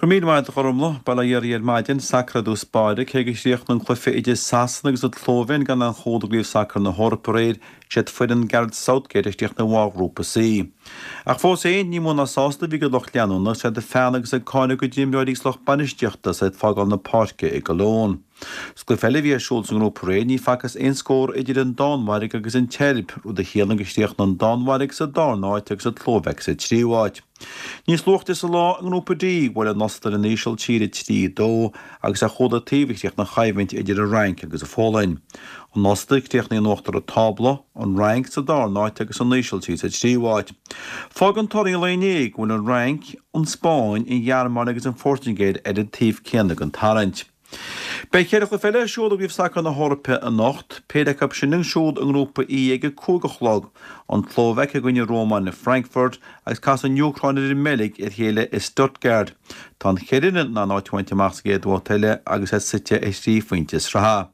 Go raibh míle maith agat a Ghormlaith. Bail ó Dhia oraibh ar maidin. Sacar i dtús báire, cé gur chríochnaigh an cluiche idir Sasana agus an tSlóivéin gan aon chúl i gCraobh Sacair na hEorpa aréir, siad foireann Gareth Southgate a chríochnaigh i mbarr Ghrúpa C. Ach fós féin, ní mó ná sásta a bhí a gcuid lucht leanúna, agus iad ag feannadh agus ag cáineadh a gcuid imreoirí agus lucht bainistíochta is iad ag fágáil na páirce i gCologne. Sa gcluiche eile a bhí ar siúl sa ngrúpa aréir, ní facthas aon scór idir an Danmhairg agus an tSeirb, rud a chiallaíonn gur chríochnaigh an Danmhairg sa darna háit agus an tSlóvaic sa tríú háit. Níos luaithe sa lá i nGrúpa D, bhuail an Ostair an Ísiltír 3, 2 agus ar chúl an taobh a chríochnaigh an choimhlint idir an Fhrainc agus an Pholainn. An Ostair críochnaithe in uachtar an tábla, an Fhrainc sa darna háit agus an Ísiltír sa tríú háit. Fágann torthaí an lae inné go bhfuil an Fhrainc, an Spáinn, an Ghearmáin agus an Phortaingéil ar an taobh céanna den tarraingt. Beidh cheithre chluiche eile ar siúl i gCraobh Sacair na hEorpa anocht, péire acu sin ar siúl i nGrúpa E ag a 5 a chlog, an tSlóvaic i gcoinne Rómáine i Frankfurt agus casfaidh an Úcráin ar an mBeilg ar a chéile i Stuttgart. Tá an cheithre fhoireann in ann áit a bhaint amach sa gcéad bhabhta eile agus iad suite ar thrí phointe sraithe.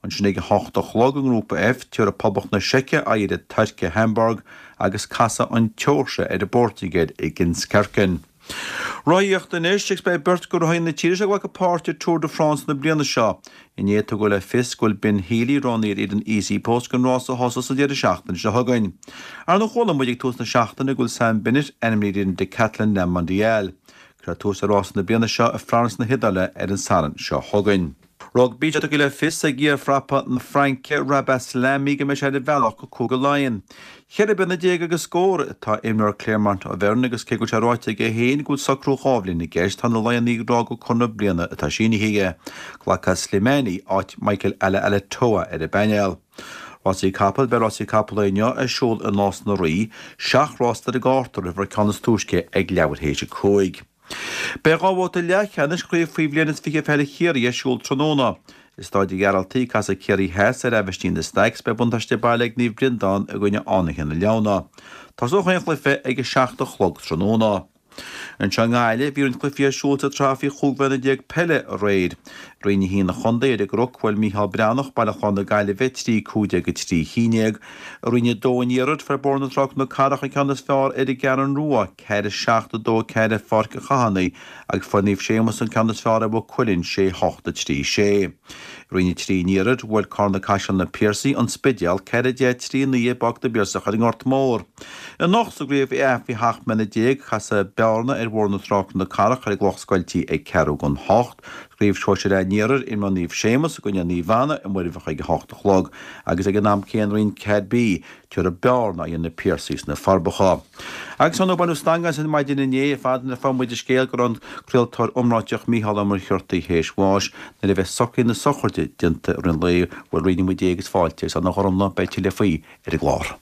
Ansin ag a 8 a chlog i nGrúpa F, tabharfaidh Poblacht na Seice aghaidh ar an Tuirc i Hamburg agus casfaidh an tSeoirsia ar an bPortaingéil i Dinskirchen. Rothaíocht anois agus beidh beirt de rothaithe na tíre seo ag glacadh páirt i Tour de France na bliana seo. Inné tugadh le fios go bhfuil Ben Healy roghnaithe ar fhoireann EasyPost don rás a thosós an deireadh seachtaine seo chugainn. Ar ndóigh chuala muid ag tús na seachtaine go bhfuil Sam Bennett ainmnithe ar fhoireann Decathlon Le Mondial. Cuirfear tús le rása na bliana seo i Florence na hIodáile ar an Satharn seo chugainn. Rugbaí, Tá tugtha le fios ag iar-phrapa na Fraince, Rabah Sellami, go mbeidh sé ar a bhealach go Cúige Laighean. Cheithre bliana déag agus scór atá imreoir Clermont Auvergne agus cé go bhfuil sé ráite aige féin go bhfuil socrú 2 bhliain i gceist, tá na Laigheanaigh ag rá gur conradh bliana atá sínithe aige. Glacfaidh Slimani áit Michael Alaalatoa ar an bpainéal. Rásaí Capall Beidh rásaí capall inniu ar siúl i Nás na Rí. Seacht rás ar an gcárta, rithfear an ceann is túisce ag leathuair théis a 5. Beidh 2 bhabhta leathcheannais Chraobh Faoi Bhliain is 20 Peile Chiarraí ar siúl tráthnóna. I Stáid an Ghearaltaigh, casfaidh Ciarraí Theas ar Aibhistín na Staics, beidh buntáiste baile ag Naomh Breandán i gcoinne Fhánaithe na Leamhna. Tosóidh an chluiche ag 7 a chlog tráthnóna. Anseo i nGaillimh, bhí roinnt cluichí ar siúl sa tsraith faoi 15 bhliana peile aréir. Roinn 1 an chontae ar an gCnoc, bhuail Micheál Breathnach, Baile Chláir na Gaillimhe, 3 15 3 11. I Roinn 2 an Iarthair, fuair Bóthar na Trá Cnoc Carrach an ceann is fearr ar an gCeathrú Rua, 4 7 2 4 i Pháirc an Chathánaigh agus fuair Naomh Séamus an ceann is fearr ar Mhaigh Cuilinn, 6 8 3 6. I Roinn 3 an Iarthair, bhuail Carna Caiseal na Piarsaigh, An Spidéal, 4 10 3 9 i bPáirc na bPiarsach ar an nGort Mór. Anocht sa gCraobh A faoi sheacht mbliana déag, casfaidh Bearna ar Bhóthar na Trá Cnoc Carrach ar an gCloch Scoiltí ag ceathrú don hocht. Sa gCraobh Shóisir A an Iarthair, imreoidh Naomh Séamus i gcoinne Naomh Anna i Muirbheach ag a hocht a chlog agus ag an am céanna i Roinn 4 B, Tabharfaidh Bearna aghaidh ar na Piarsaigh sna Forbacha. Agus ar ndóigh baineadh stangadh asainn maidin inné ar fad nuair a fuair muid an scéal go raibh an craoltóir iomráiteach Mícheál Ó Muircheartaigh théis bháis nuair a bheidh socruithe na sochraide déanta i rith an lae, bhuel roinnfidh muid é agus fáilte agus ar ndóigh a Ghormfhlaith beidh tuilleadh faoi ar an gclár.